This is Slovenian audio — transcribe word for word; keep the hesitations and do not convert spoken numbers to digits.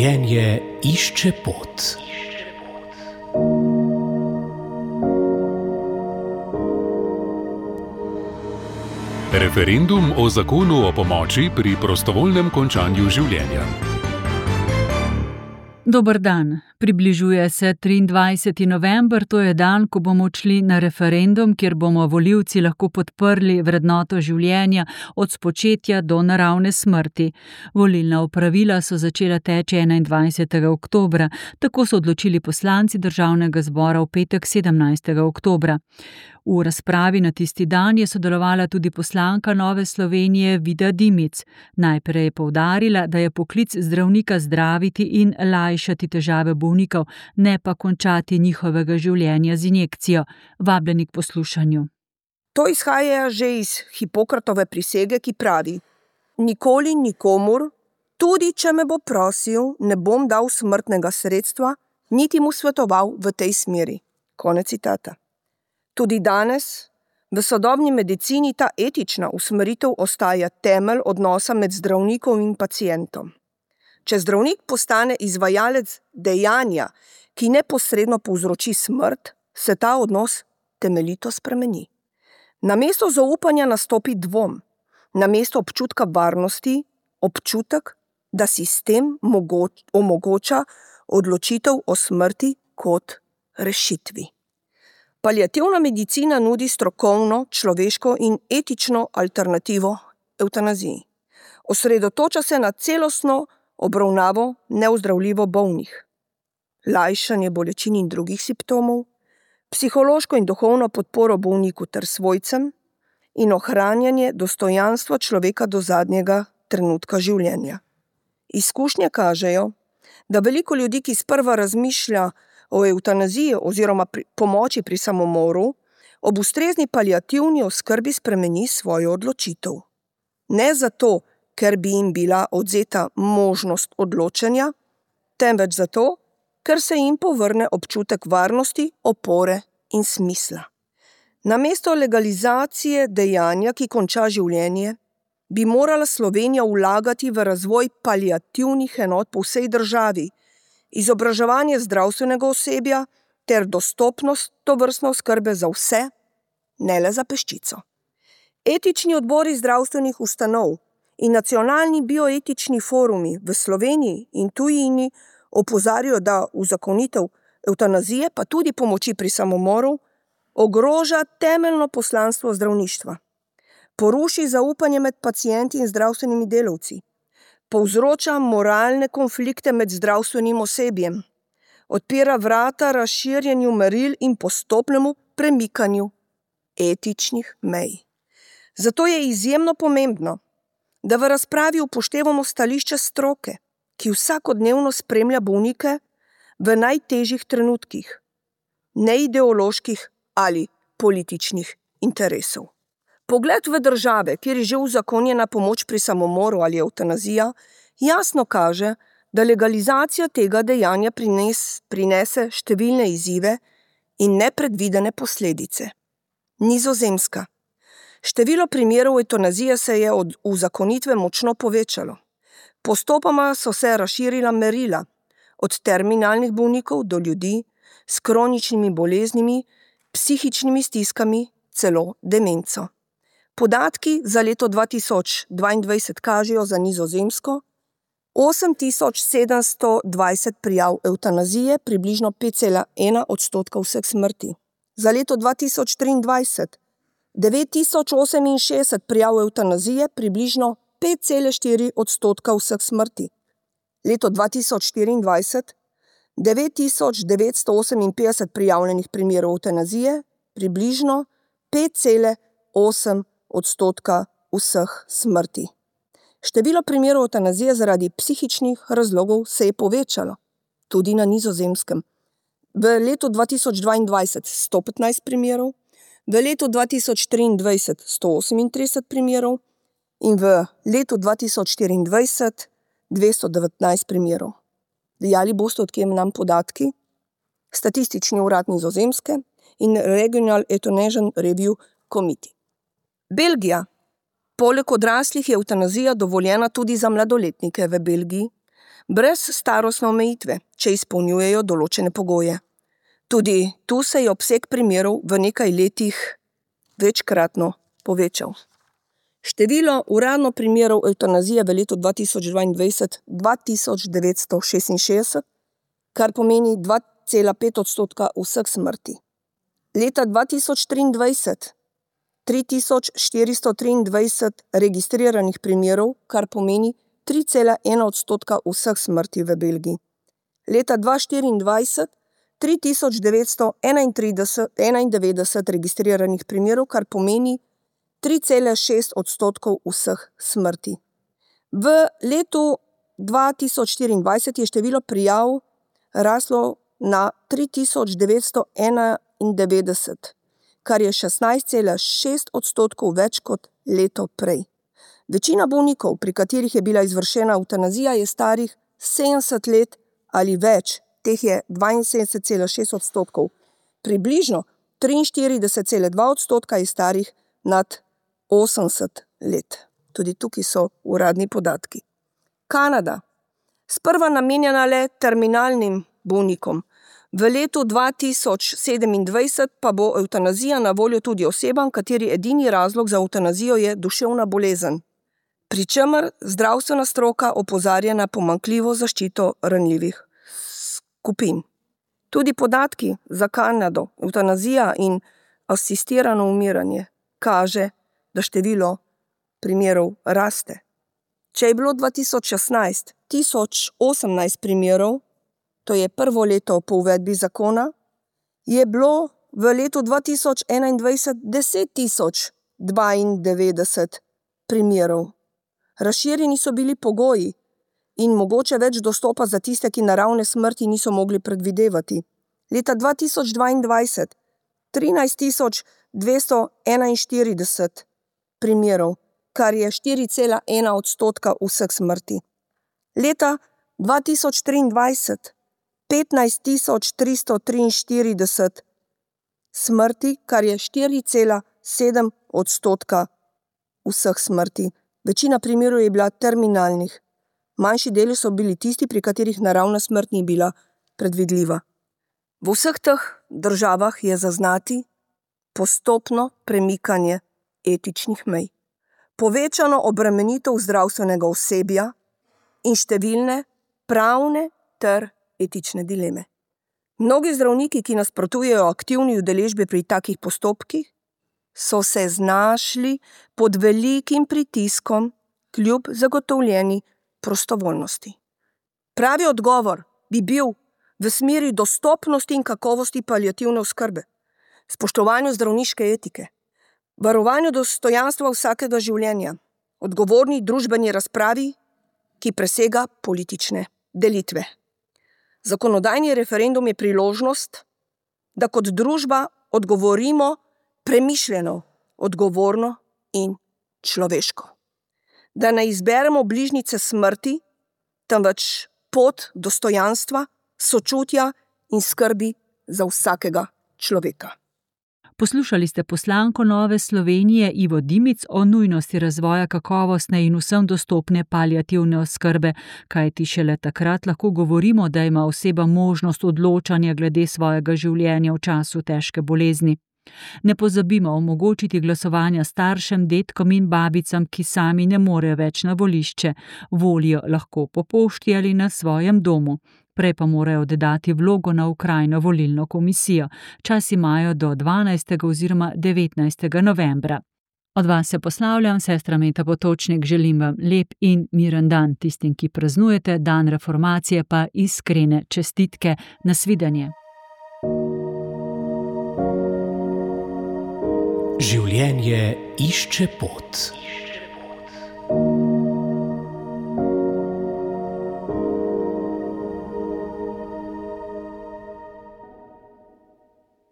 Življenje išče pot. Referendum o zakonu o pomoči pri prostovoljnem končanju življenja. Dober dan. Približuje se triindvajseti november, to je dan, ko bomo odšli na referendum, kjer bomo volivci lahko podprli vrednoto življenja od spočetja do naravne smrti. Volilna opravila so začela teči enaindvajsetega oktobra, tako so odločili poslanci Državnega zbora v petek sedemnajstega oktobra. V razpravi na tisti dan je sodelovala tudi poslanka Nove Slovenije Vida Dimic. Najprej je poudarila, da je poklic zdravnika zdraviti in lajšati težave bolnikov, ne pa končati njihovega življenja z injekcijo. Vabljeni k poslušanju. To izhaja že iz Hipokratove prisege, ki pravi: nikoli nikomur, tudi če me bo prosil, ne bom dal smrtnega sredstva, niti mu svetoval v tej smeri. Konec citata. Tudi danes v sodobni medicini ta etična usmeritev ostaja temelj odnosa med zdravnikom in pacientom. Če zdravnik postane izvajalec dejanja, ki neposredno povzroči smrt, se ta odnos temeljito spremeni. Namesto zaupanja nastopi dvom, namesto občutka varnosti, občutek, da sistem mogoč, omogoča odločitev o smrti kot rešitvi. Paliativna medicina nudi strokovno, človeško in etično alternativo evtanaziji. Osredotoča se na celostno obravnavo neozdravljivo bolnih, lajšanje bolečin in drugih simptomov, psihološko in duhovno podporo bolniku ter svojcem in ohranjanje dostojanstva človeka do zadnjega trenutka življenja. Izkušnje kažejo, da veliko ljudi, ki sprva razmišlja o evtanaziji oziroma pri pomoči pri samomoru, ob ustrezni paliativni oskrbi spremeni svojo odločitev. Ne zato, ker bi jim bila odvzeta možnost odločanja, temveč zato, ker se jim povrne občutek varnosti, opore in smisla. Namesto legalizacije dejanja, ki konča življenje, bi morala Slovenija vlagati v razvoj paliativnih enot po vsej državi, izobraževanje zdravstvenega osebja ter dostopnost tovrstne oskrbe za vse, ne le za peščico. Etični odbori zdravstvenih ustanov in nacionalni bioetični forumi v Sloveniji in tujini opozarjajo, da uzakonitev evtanazije, pa tudi pomoči pri samomoru, ogroža temeljno poslanstvo zdravništva, poruši zaupanje med pacienti in zdravstvenimi delavci, povzroča moralne konflikte med zdravstvenim osebjem, odpira vrata razširjenju meril in postopnemu premikanju etičnih mej. Zato je izjemno pomembno, da v razpravi upoštevamo stališče stroke, ki vsakodnevno spremlja bolnike v najtežjih trenutkih, ne ideoloških ali političnih interesov. Pogled v države, kjer je že uzakonjena pomoč pri samomoru ali evtanazija, jasno kaže, da legalizacija tega dejanja prines, prinese številne izzive in nepredvidene posledice. Nizozemska. Število primerov evtanazije se je od uzakonitve močno povečalo. Postopoma so se razširila merila, od terminalnih bolnikov do ljudi s kroničnimi boleznimi, psihičnimi stiskami, celo demenco. Podatki za leto dva tisoč dvaindvajset kažejo za Nizozemsko osem tisoč sedemsto dvajset prijav evtanazije, približno pet cela ena odstotka vseh smrti. Za leto dva tisoč triindvajset devet tisoč oseminšestdeset prijav evtanazije, približno pet cela štiri odstotka vseh smrti. Leto dva tisoč štiriindvajset devet tisoč devetsto oseminpetdeset prijavljenih primerov evtanazije, približno pet cela osem odstotka vseh smrti. Število primerov evtanazije zaradi psihičnih razlogov se je povečalo, tudi na Nizozemskem. V letu dva tisoč dvaindvajset sto petnajst primerov, v letu dva tisoč triindvajset sto osemintrideset primerov in v letu dva tisoč štiriindvajset dvesto devetnajst primerov. Dejali boste, od kje nam podatki? Statistični urad Nizozemske in Regional Euthanasia Review Committee. Belgija. Poleg odraslih je evtanazija dovoljena tudi za mladoletnike v Belgiji. brez starostne omejitve, če izpolnjujejo določene pogoje. Tudi tu se je obseg primerov v nekaj letih večkratno povečal. Število uradno primerov evtanazije v letu dva tisoč dvaindvajset dva tisoč devetsto šestinšestdeset, kar pomeni dva cela pet odstotka vseh smrti. Leta dva tisoč triindvajset tri tisoč štiristo triindvajset registriranih primerov, kar pomeni tri cela ena odstotka vseh smrti v Belgiji. Leta dva tisoč štiriindvajset tri tisoč devetsto enaindevetdeset registriranih primerov, kar pomeni tri cela šest odstotkov vseh smrti. V letu dva tisoč štiriindvajset je število prijav raslo na tri tisoč devetsto enaindevetdeset, kar je šestnajst cela šest odstotkov več kot leto prej. Večina bolnikov, pri katerih je bila izvršena evtanazija, je starih sedemdeset let ali več, teh je dvainsedemdeset cela šest odstotkov. Približno triinštirideset cela dva odstotka je starih nad osemdeset let. Tudi tukaj so uradni podatki. Kanada, sprva namenjena le terminalnim bolnikom. V letu dva tisoč sedemindvajset pa bo evtanazija na voljo tudi osebam, kateri edini razlog za evtanazijo je duševna bolezen, pri čemer zdravstvena stroka opozarja na pomanjkljivo zaščito ranljivih skupin. Tudi podatki za Kanado, evtanazija in asistirano umiranje kaže, da število primerov raste. Če je bilo dva tisoč šestnajst tisoč osemnajst primerov, to je prvo leto po uvedbi zakona, je bilo v letu dva tisoč enaindvajset deset tisoč dvaindevetdeset primerov. Razširjeni so bili pogoji in mogoče več dostopa za tiste, ki naravne smrti niso mogli predvidevati. Leta dva tisoč dvaindvajset trinajst tisoč dvesto enainštirideset primerov, kar je štiri cela ena odstotka vseh smrti. Leta dva tisoč triindvajset petnajst tisoč tristo triinštirideset smrti, kar je štiri cela sedem odstotka vseh smrti. Večina primerov je bila terminalnih. Manjši deli so bili tisti, pri katerih naravna smrt ni bila predvidljiva. V vseh teh državah je zaznati postopno premikanje etičnih mej, povečano obremenitev zdravstvenega osebja in številne pravne ter etične dileme. Mnogi zdravniki, ki nasprotujejo aktivni udeležbi pri takih postopkih, so se znašli pod velikim pritiskom kljub zagotovljeni prostovoljnosti. Pravi odgovor bi bil v smeri dostopnosti in kakovosti paliativne oskrbe, spoštovanju zdravniške etike, varovanju dostojanstva vsakega življenja, odgovorni družbeni razpravi, ki presega politične delitve. Zakonodajni referendum je priložnost, da kot družba odgovorimo premišljeno, odgovorno in človeško. Da ne izberemo bližnjice smrti, temveč pot dostojanstva, sočutja in skrbi za vsakega človeka. Poslušali ste poslanko Nove Slovenije Ivo Dimic o nujnosti razvoja kakovostne in vsem dostopne paliativne oskrbe, kajti šele takrat lahko govorimo, da ima oseba možnost odločanja glede svojega življenja v času težke bolezni. Ne pozabimo omogočiti glasovanja staršem, dedkom in babicam, ki sami ne morejo več na volišče. Volijo lahko po pošti ali na svojem domu. Prej pa morajo oddati vlogo na okrajno volilno komisijo. Čas imajo do dvanajstega oziroma devetnajstega novembra. Od vas se poslavljam, sestra Meta Potočnik, želim vam lep in miren dan. Tistim, ki praznujete dan reformacije, pa iskrene čestitke. Nasvidenje. Življenje išče pot.